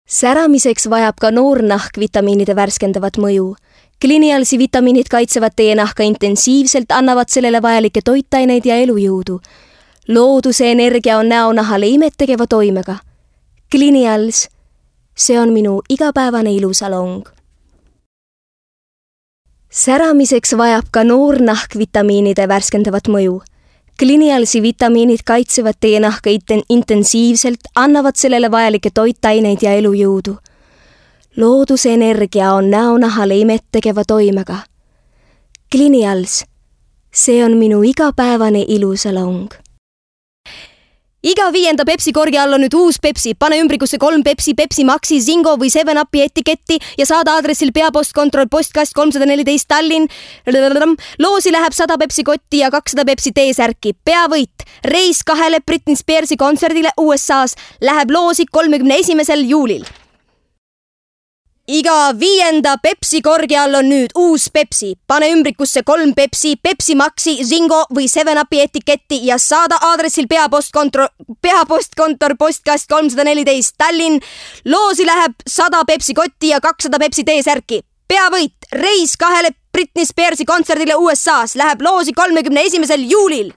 Säramiseks vajab ka noornahk vitamiinide värskendavat mõju. Clinialsi vitamiinid kaitsevad teie nahka intensiivselt, annavad sellele vajalikke toitaineid ja elujõudu. Looduse energia on näonahale imettegeva toimega. Clinials, see on minu igapäevane ilusalong. Säramiseks vajab ka noornahk vitamiinide värskendavat mõju. Clinialsi vitamiinid kaitsevad teie nahka intensiivselt, annavad sellele vajalikke toitaineid ja elujõudu. Looduse energia on näonahale imettegeva toimega. Clinials, see on minu igapäevane ilusalong. Iga 5. Pepsi korgi all on nüüd uus Pepsi. Pane ümbrikusse 3 Pepsi, Pepsi Maxi, Zingo või 7-Upi etiketti ja saada aadressil peapostkontroll postkast 314 Tallinn. Loosi läheb 100 Pepsi kotti ja 200 Pepsi T-särki. Peavõit. Reis 2 Britney Spearsi kontserdile USA's läheb loosi 31. juulil. Iga 5. Pepsi korgi all on nüüd uus Pepsi. Pane ümbrikusse 3 Pepsi, Pepsi Maxi, Zingo või 7-Upi etiketti ja saada aadressil peapostkontor postkast 314 Tallinn. Loosi läheb 100 Pepsi kotti ja 200 Pepsi T-särki. Peavõit. Reis 2 Britney Spearsi kontserdile USA's läheb loosi 31. juulil.